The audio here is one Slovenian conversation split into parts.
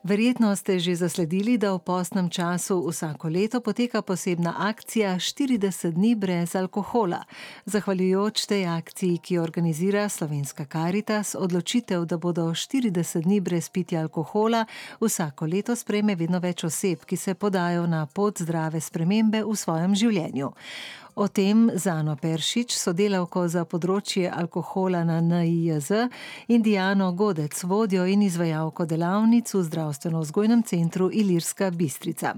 Verjetno ste že zasledili, da v postnem času vsako leto poteka posebna akcija 40 dni brez alkohola. Zahvaljujoč tej akciji, ki jo organizira Slovenska Karitas, odločitev, da bodo 40 dni brez pitja alkohola, vsako leto sprejme vedno več oseb, ki se podajo na pot zdrave spremembe v svojem življenju. O tem z Ano Peršič, sodelavko za področje alkohola na NIJZ, in Diano Godec, vodjo in izvajalko delavnic v zdravstveno-vzgojnem centru Ilirska Bistrica.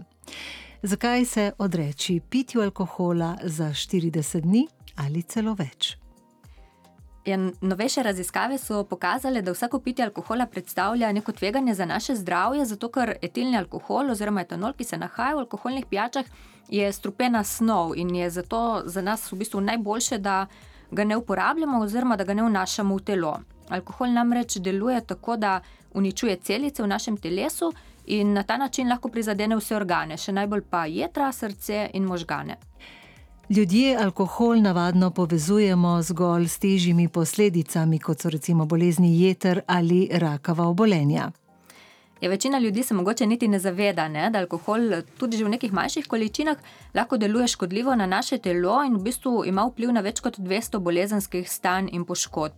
Zakaj se odreči pitju alkohola za 40 dni ali celo več? Novejše raziskave so pokazale, da vsako pitje alkohola predstavlja neko tveganje za naše zdravje, zato ker etilni alkohol oziroma etanol, ki se nahaja v alkoholnih pijačah, je strupena snov in je zato za nas v bistvu najboljše, da ga ne uporabljamo oziroma da ga ne vnašamo v telo. Alkohol namreč deluje tako, da uničuje celice v našem telesu in na ta način lahko prizadene vse organe, še najbolj pa jetra, srce in možgane. Ljudje alkohol navadno povezujemo zgolj s težjimi posledicami, kot so recimo bolezni jeter ali rakava obolenja. Večina ljudi se mogoče niti ne zaveda, da alkohol tudi že v nekih manjših količinah lahko deluje škodljivo na naše telo in v bistvu ima vpliv na več kot 200 bolezenskih stanj in poškodb.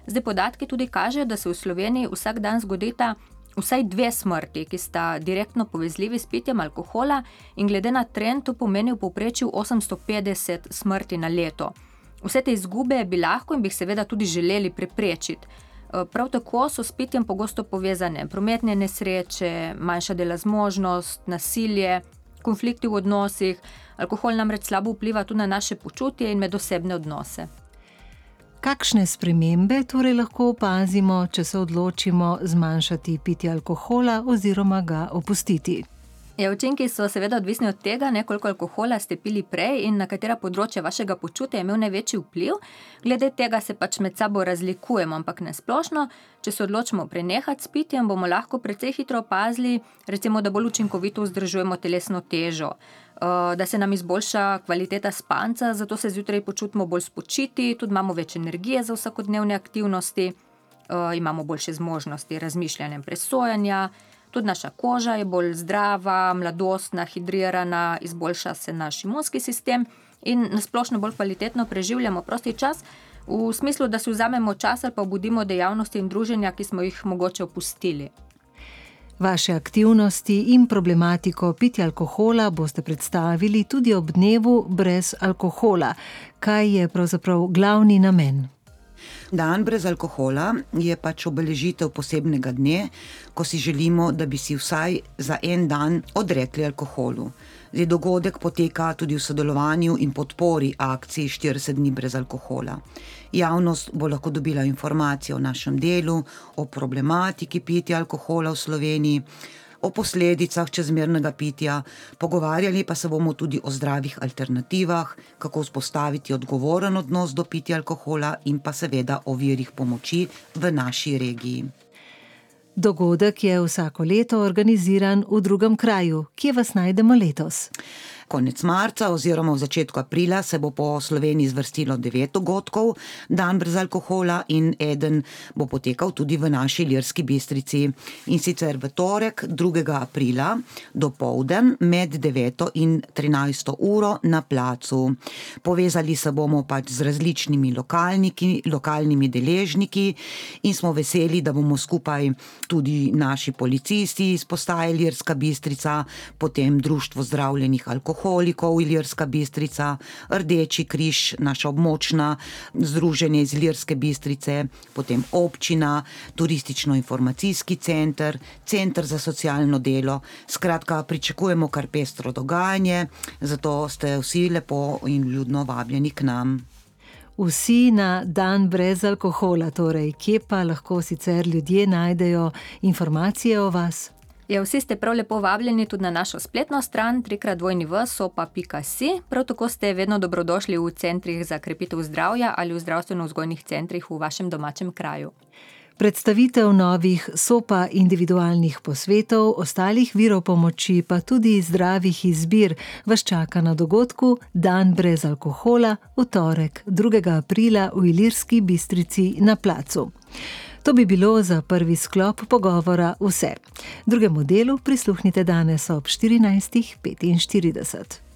Zdaj podatki tudi kažejo, da se v Sloveniji vsak dan zgodita vsaj 2 smrti, ki sta direktno povezljivi s pitjem alkohola in glede na trend to pomeni v povprečju 850 smrti na leto. Vse te izgube bi lahko in bi jih seveda tudi želeli preprečiti. Prav tako so s pitjem pogosto povezane prometne nesreče, manjša dela zmožnost, nasilje, konflikti v odnosih. Alkohol namreč slabo vpliva tudi na naše počutje in medosebne odnose. Kakšne spremembe torej lahko opazimo, če se odločimo zmanjšati pitje alkohola oziroma ga opustiti? Učinki so seveda odvisni od tega, koliko alkohola ste pili prej in na katera področja vašega počutja je imel največji vpliv. Glede tega se pač med sabo razlikujemo, ampak nesplošno, če se odločimo prenehati s pitjem, bomo lahko precej hitro opazili, recimo, da bolj učinkovito vzdržujemo telesno težo, da se nam izboljša kvaliteta spanca, zato se zjutraj počutimo bolj spočiti, tudi imamo več energije za vsakodnevne aktivnosti, imamo boljše zmožnosti razmišljanja in presojanja. Tudi naša koža je bolj zdrava, mladostna, hidrirana, izboljša se naš imunski sistem in nasplošno bolj kvalitetno preživljamo prosti čas, v smislu, da si vzamemo čas ali pa obudimo dejavnosti in druženja, ki smo jih mogoče opustili. Vaše aktivnosti in problematiko pitja alkohola boste predstavili tudi ob dnevu brez alkohola. Kaj je pravzaprav glavni namen? Dan brez alkohola je pač obeležitev posebnega dne, ko si želimo, da bi si vsaj za en dan odrekli alkoholu. Dogodek poteka tudi v sodelovanju in podpori akciji 40 dni brez alkohola. Javnost bo lahko dobila informacije o našem delu, o problematiki pitja alkohola v Sloveniji, o posledicah čezmernega pitja, pogovarjali pa se bomo tudi o zdravih alternativah, kako vzpostaviti odgovoren odnos do pitja alkohola in pa seveda o virih pomoči v naši regiji. Dogodek je vsako leto organiziran v drugem kraju. Kje vas najdemo letos? Konec marca oziroma v začetku aprila se bo po Sloveniji zvrstilo 9 dogodkov, dan brez alkohola, in eden bo potekal tudi v naši Ilirski Bistrici. In sicer v torek 2. aprila dopoldan med 9. in 13. uro na placu. Povezali se bomo pač z različnimi lokalnimi deležniki in smo veseli, da bomo skupaj tudi naši policisti iz postaje Ilirska Bistrica, potem Društvo zdravljenih alkoholikov Ilirska Bistrica, Rdeči križ, naša območna združenje iz Ilirske Bistrice, potem občina, turistično-informacijski center, center za socialno delo. Skratka, pričakujemo kar pestro dogajanje, zato ste vsi lepo in vljudno vabljeni k nam. Vsi na dan brez alkohola, torej kje pa lahko sicer ljudje najdejo informacije o vas? Vsi ste prav lepo vabljeni tudi na našo spletno stran www.sopa.si. Prav tako ste vedno dobrodošli v centrih za krepitev zdravja ali v zdravstveno-vzgojnih centrih v vašem domačem kraju. Predstavitev novih SOPA individualnih posvetov, ostalih virov pomoči pa tudi zdravih izbir vas čaka na dogodku Dan brez alkohola v torek 2. aprila v Ilirski Bistrici na placu. To bi bilo za prvi sklop pogovora vse. Drugemu delu prisluhnite danes ob 14:45.